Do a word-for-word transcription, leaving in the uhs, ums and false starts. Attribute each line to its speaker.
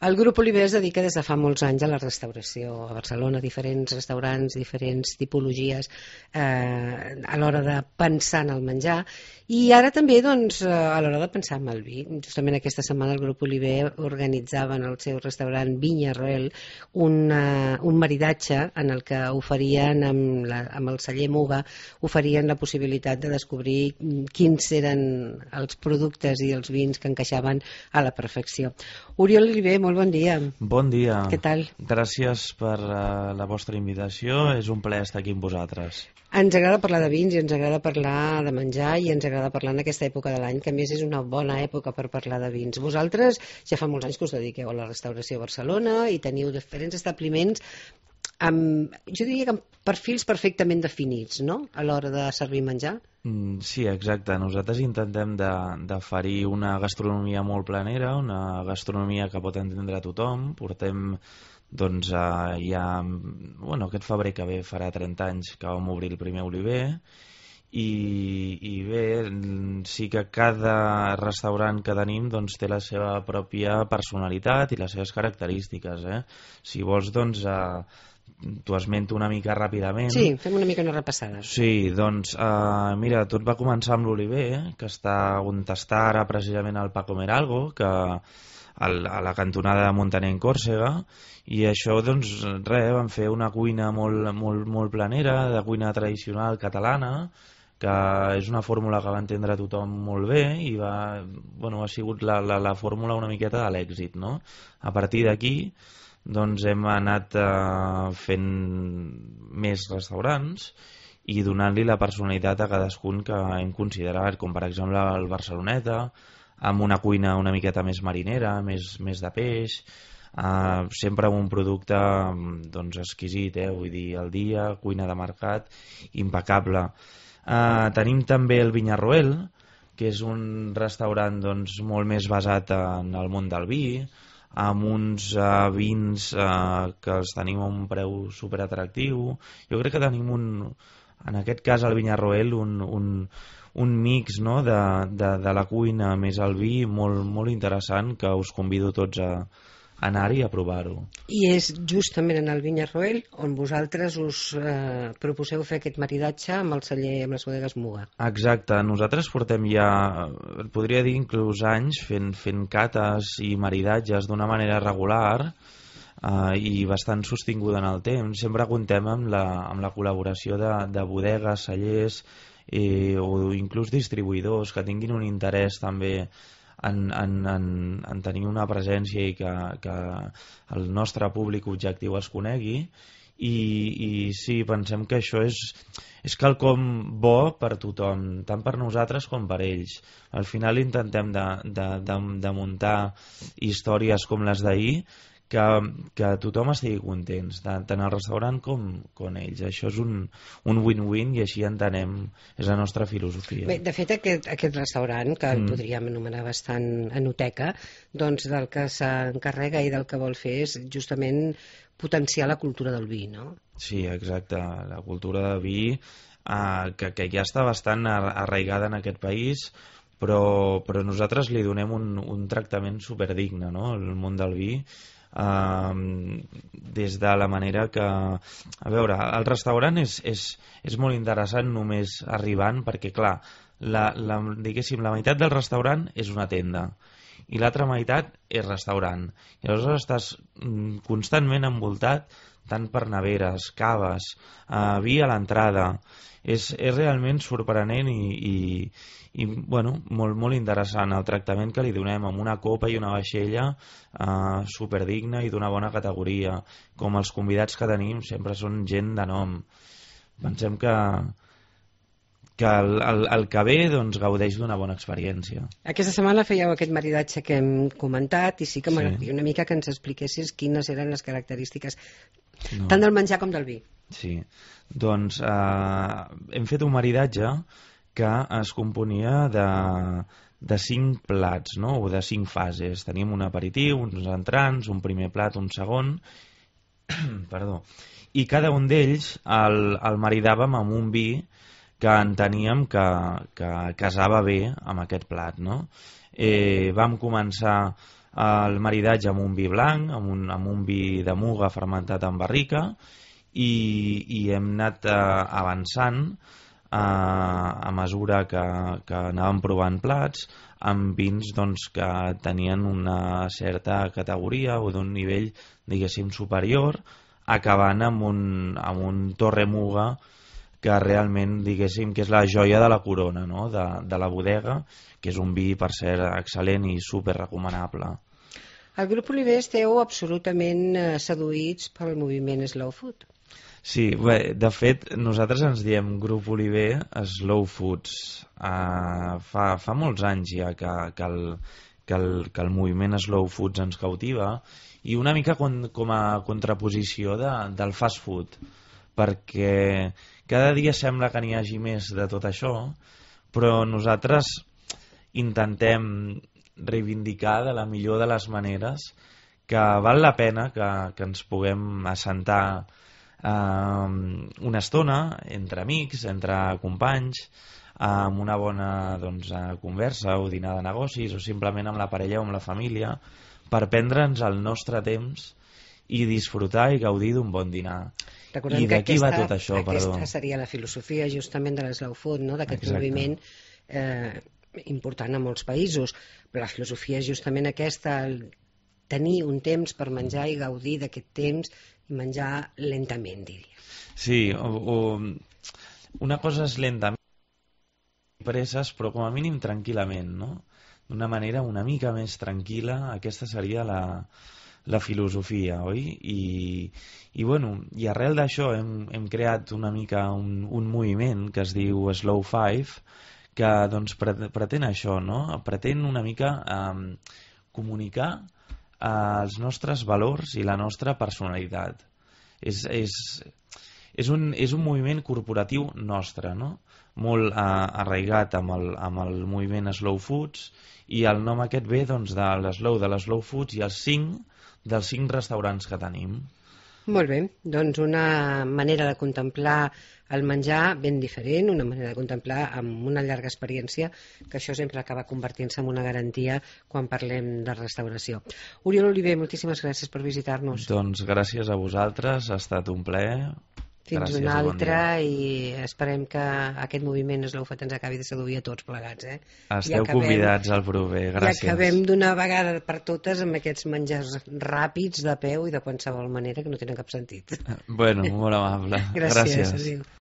Speaker 1: El Grup Oliver es dedica des de fa molts anys a la restauració a Barcelona, diferents restaurants, diferents tipologies eh, a l'hora de pensar en el menjar, i ara també doncs, a l'hora de pensar en el vi. Justament aquesta setmana el Grup Oliver organitzava en el seu restaurant Vinya Roel una, un maridatge en el que oferien amb, la, amb el celler Muga oferien la possibilitat de descobrir quins eren els productes i els vins que encaixaven a la perfecció. Oriol Oliver, molt bon dia.
Speaker 2: Bon dia.
Speaker 1: Què tal?
Speaker 2: Gràcies per uh, la vostra invitació, és un plaer estar aquí amb vosaltres.
Speaker 1: Ens agrada parlar de vins i ens agrada parlar de menjar i ens agrada parlar en aquesta època de l'any, que a més és una bona època per parlar de vins. Vosaltres ja fa molts anys que us dediqueu a la restauració a Barcelona i teniu diferents establiments amb, jo diria que amb perfils perfectament definits, no?, a l'hora de servir menjar.
Speaker 2: Mm, sí, exacte. Nosaltres intentem d'oferir una gastronomia molt planera, una gastronomia que pot entendre tothom. Portem, doncs, eh, ja... Bueno, aquest febrer que ve farà trenta anys que vam obrir el primer Oliver, i, i bé, sí que cada restaurant que tenim doncs, té la seva pròpia personalitat i les seves característiques. Eh? Si vols, doncs... Eh, t'ho esmento una mica ràpidament.
Speaker 1: Sí, fem una mica una repassada.
Speaker 2: Sí, doncs, uh, mira, tot va començar amb l'Oliver, que està on està ara precisament el Paco Meralgo, que al, a la cantonada de Montaner en Còrsega, i això, doncs, res, van fer una cuina molt, molt, molt planera, de cuina tradicional catalana, que és una fórmula que va entendre tothom molt bé i va, bueno, ha sigut la, la, la fórmula una miqueta de l'èxit, no? A partir d'aquí, doncs hem anat eh, fent més restaurants i donant-li la personalitat a cadascun que hem considerat, com per exemple el Barceloneta, amb una cuina una miqueta més marinera, més, més de peix, eh, sempre amb un producte doncs, exquisit, eh, vull dir, al dia, cuina de mercat, impecable. Eh, tenim també el Vinya Roel, que és un restaurant doncs, molt més basat en el món del vi, amb uns uh, vins uh, que els tenim a un preu superatractiu. Jo crec que tenim un, en aquest cas al Vinya Roel, un, un, un mix, no?, de, de, de la cuina més el vi molt, molt interessant, que us convido tots a anar-hi a provar-ho.
Speaker 1: I és justament en el Vinya Roel on vosaltres us eh, proposeu fer aquest maridatge amb el celler, amb les bodegues Muga.
Speaker 2: Exacte, nosaltres portem ja, podria dir inclús anys, fent, fent cates i maridatges d'una manera regular eh, i bastant sostinguda en el temps. Sempre contem amb la, amb la col·laboració de, de bodegues, cellers eh, o inclús distribuïdors que tinguin un interès també En, en, en, en tenir una presència i que, que el nostre públic objectiu es conegui i, i sí, pensem que això és, és quelcom bo per tothom, tant per nosaltres com per ells. Al final intentem de, de, de, de muntar històries com les d'ahir que, que tothom estigui contents, tant, tant el restaurant com, com ells. Això és un, un win-win i així entenem, és la nostra filosofia.
Speaker 1: Bé, de fet, aquest, aquest restaurant, que el
Speaker 2: Mm.
Speaker 1: podríem anomenar bastant enoteca, doncs del que s'encarrega i del que vol fer és justament potenciar la cultura del vi, no?
Speaker 2: Sí, exacte. La cultura del vi eh, que, que ja està bastant ar- arraigada en aquest país, però, però nosaltres li donem un, un tractament superdigne, no?, al món del vi. Uh, des de la manera que, a veure, el restaurant és, és, és molt interessant només arribant, perquè clar, la, la, diguéssim, la meitat del restaurant és una tenda i l'altra meitat és restaurant, i aleshores estàs mm, constantment envoltat tant per neveres, caves, uh, vi a l'entrada. És, és realment sorprenent i, i, i bueno, molt, molt interessant el tractament que li donem amb una copa i una vaixella eh, superdigna i d'una bona categoria. Com els convidats que tenim sempre són gent de nom. Pensem que, que el, el, el que ve doncs, gaudeix d'una bona experiència.
Speaker 1: Aquesta setmana fèieu aquest maridatge que hem comentat i sí que
Speaker 2: Sí.
Speaker 1: m'agradaria una mica que ens expliquessis quines eren les característiques
Speaker 2: No.
Speaker 1: tant del menjar com del vi.
Speaker 2: Sí, doncs eh, hem fet un maridatge que es componia de, de cinc plats, no?, o de cinc fases. Teníem un aperitiu, uns entrants, un primer plat, un segon, perdó, i cada un d'ells el, el maridàvem amb un vi que enteníem que, que casava bé amb aquest plat, no? Eh, vam començar el maridatge amb un vi blanc, amb un, amb un vi de muga fermentat en barrica, i, i hem anat eh, avançant eh, a mesura que, que anàvem provant plats amb vins doncs, que tenien una certa categoria o d'un nivell, diguéssim, superior, acabant amb un, amb un Torre Muga que realment, diguéssim, que és la joia de la corona, no? de, de la bodega, que és un vi, per cert, excel·lent i super recomanable.
Speaker 1: El grup Oliver esteu absolutament seduïts pel moviment Slow Food.
Speaker 2: Sí, bé, de fet, nosaltres ens diem Grup Oliver Slow Foods. Uh, fa, fa molts anys ja que, que, el, que, el, que el moviment Slow Foods ens cautiva, i una mica con, com a contraposició de, del fast food, perquè cada dia sembla que n'hi hagi més de tot això, però nosaltres intentem reivindicar de la millor de les maneres que val la pena que, que ens puguem assentar Uh, una estona entre amics, entre companys, uh, amb una bona doncs, uh, conversa o dinar de negocis, o simplement amb la parella o amb la família, per prendre'ns el nostre temps i disfrutar i gaudir d'un bon dinar.
Speaker 1: Recordem
Speaker 2: I d'aquí va tot això,
Speaker 1: aquesta
Speaker 2: perdó.
Speaker 1: seria la filosofia justament de l'Slow Food, no? D'aquest moviment eh, important a molts països, però la filosofia és justament aquesta, el tenir un temps per menjar i gaudir d'aquest temps i menjar lentament, diria.
Speaker 2: Sí, o, o una cosa és lentament, presses, però com a mínim tranquil·lament, no? D'una manera una mica més tranquil·la, aquesta seria la, la filosofia, oi? I, i, bueno, i arrel d'això hem, hem creat una mica un, un moviment que es diu Slow Five, que doncs, pretén això, no? Pretén una mica eh, comunicar els nostres valors i la nostra personalitat. És, és, és, un, és un moviment corporatiu nostre, no? Molt eh, arraigat amb el, amb el moviment Slow Foods, i el nom aquest ve doncs, de l'Slow, de l'Slow Foods i els cinc dels cinc restaurants que tenim.
Speaker 1: Molt bé, doncs una manera de contemplar el menjar ben diferent, una manera de contemplar amb una llarga experiència, que això sempre acaba convertint-se en una garantia quan parlem de restauració. Oriol Oliver, moltíssimes gràcies per visitar-nos.
Speaker 2: Doncs gràcies a vosaltres, ha estat un plaer.
Speaker 1: Fins
Speaker 2: gràcies,
Speaker 1: una altra,
Speaker 2: bon
Speaker 1: i esperem que aquest moviment Slow Food ens acabi de seduir a tots plegats. Eh?
Speaker 2: Esteu acabem, convidats al proper, gràcies.
Speaker 1: I acabem d'una vegada per totes amb aquests menjars ràpids de peu i de qualsevol manera que no tenen cap sentit.
Speaker 2: Bueno, molt amable.
Speaker 1: Gràcies,
Speaker 2: gràcies.
Speaker 1: Adéu.